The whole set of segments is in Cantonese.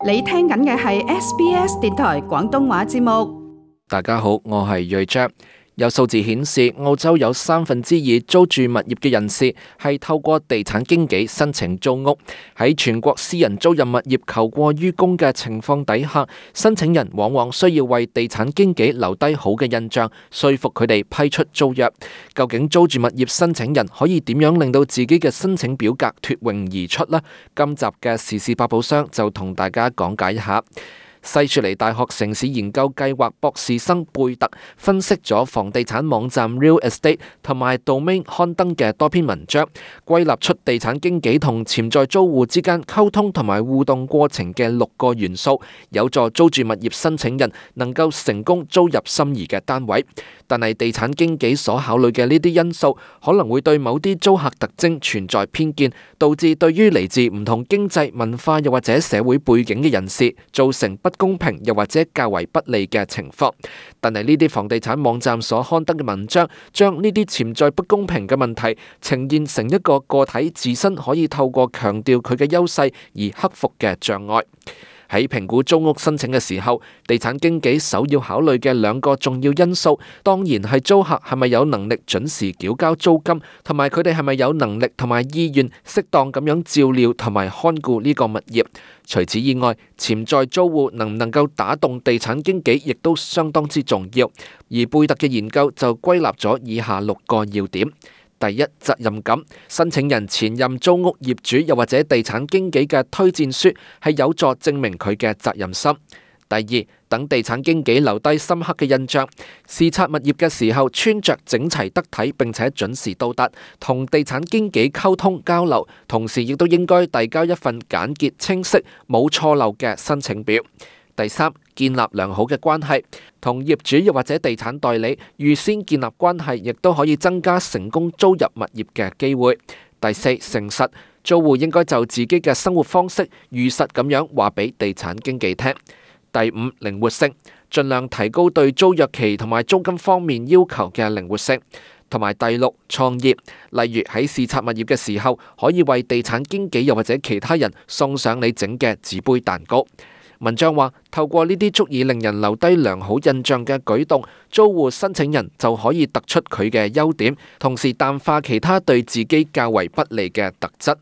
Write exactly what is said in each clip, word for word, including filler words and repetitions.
你聽緊嘅係 S B S 電台廣東話節目。大家好，我係睿章。有數字顯示，澳洲有三分之二租住物業嘅人士係透過地產經紀申請租屋。喺全國私人租賃物業求過於供嘅情況底下，申請人往往需要為地產經紀留低好嘅印象，說服佢哋批出租約。究竟租住物業申請人可以點樣令到自己嘅申請表格脫穎而出呢？今集嘅時事百寶箱就同大家講解一下。西雪梨大學城市研究計劃博士生貝特分析咗房地產網站 Real Estate 同埋 Domain 刊登嘅多篇文章，歸納出地產經紀同潛在租戶之間溝通同埋互動過程嘅六個元素，有助租住物業申請人能夠成功租入心儀嘅單位。但係地產經紀所考慮嘅呢啲因素，可能會對某啲租客特徵存在偏見，導致對於嚟自唔同經濟、文化又或者社會背景嘅人士造成不公平又或者較為不利嘅情況。但係呢啲房地產網站所刊登嘅文章，將呢啲潛在不公平嘅問題呈現成一個個體自身可以透過強調佢嘅優勢而克服嘅障礙。喺評估租屋申請嘅時候，地產經紀首要考慮嘅兩個重要因素，當然係租客係咪有能力準時繳交租金，同埋佢哋係咪有能力同埋意願適當咁樣照料同埋看顧呢個物業。除此以外，潛在租戶能唔能夠打動地產經紀，亦都相當之重要。而貝特嘅研究就歸納咗以下六個要點。第一，責任感。申請人前任租屋業主又或者地產經紀嘅推薦書係有助證明佢嘅責任心。第二，等地產經紀留低深刻嘅印象。視察物業嘅時候，穿着整齊得體並且準時到達，同地產經紀溝通交流，同時亦都應該遞交一份簡潔清晰、冇錯漏嘅申請表。第三，建立良好嘅關係，同業主又或者地產代理預先建立關係，亦都可以增加成功租入物業嘅機會。第四，誠實，租戶應該就自己嘅生活方式如實咁樣話俾地產經紀聽。第五，靈活性，盡量提高對租約期同埋租金方面要求嘅靈活性。同埋第六，創業，例如喺視察物業嘅時候，可以為地產經紀又或者其他人送上你整嘅紙杯蛋糕。文章話，透過呢啲足以令人留低良好印象嘅舉動，租戶申請人就可以突出佢嘅優點，同時淡化其他對自己較為不利嘅特質。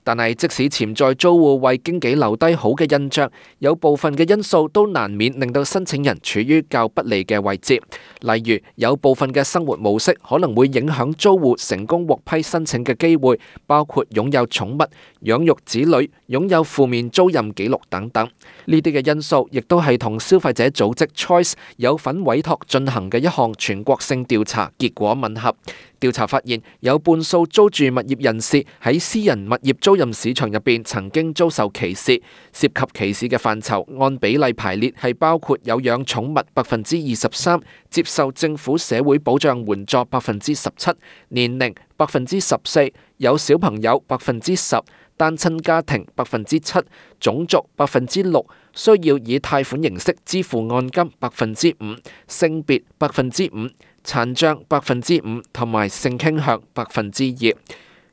但係即使潛在租戶為經紀留低好嘅印象，有部分嘅因素都難免令到申請人處於較不利嘅位置。例如，有部分嘅生活模式可能會影響租戶成功獲批申請嘅機會，包括擁有寵物、養育子女、擁有負面租賃記錄等等。呢啲嘅因素亦都係同消費者組織 Choice 有份委託進行嘅一項全國性調查結果吻合。調查發現，有半數租住物業人士喺私人物業租賃市場入邊曾經遭受歧視，涉及歧視嘅範疇按比例排列係包括有養寵物百分之二十三，接受政府社會保障援助百分之十七，年齡百分之十四，有小朋友百分之十，單親家庭百分之七，種族百分之六，需要以貸款形式支付按金百分之五，性別百分之五，殘障百分之五，同埋性傾向百分之二。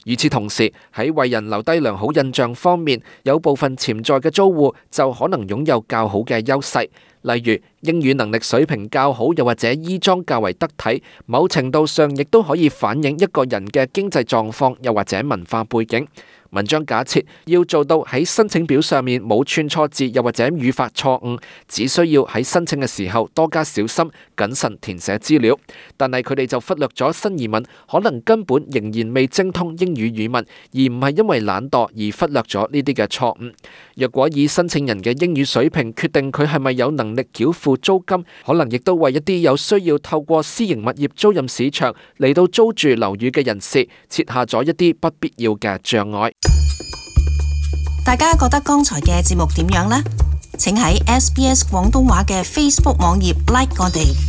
與此同時，喺為人留低良好印象方面，有部分潛在嘅租戶就可能擁有較好嘅優勢，例如英語能力水平較好，又或者衣裝較為得體，某程度上亦都可以反映一個人嘅經濟狀況，又或者文化背景。文章假設要做到喺申請表上面冇串錯字，又或者語法錯誤，只需要喺申請嘅時候多加小心謹慎填寫資料。但係佢哋就忽略咗新移民可能根本仍然未精通英語語文，而唔係因為懶惰而忽略咗呢啲嘅錯誤。若果以申請人嘅英語水平決定佢係咪有能力繳付租金，可能亦都為一啲有需要透過私營物業租賃市場嚟到租住樓宇嘅人士設下咗一啲不必要嘅障礙。大家覺得剛才嘅節目點樣呢？請喺 S B S 廣東話嘅 Facebook 網頁 like 我哋。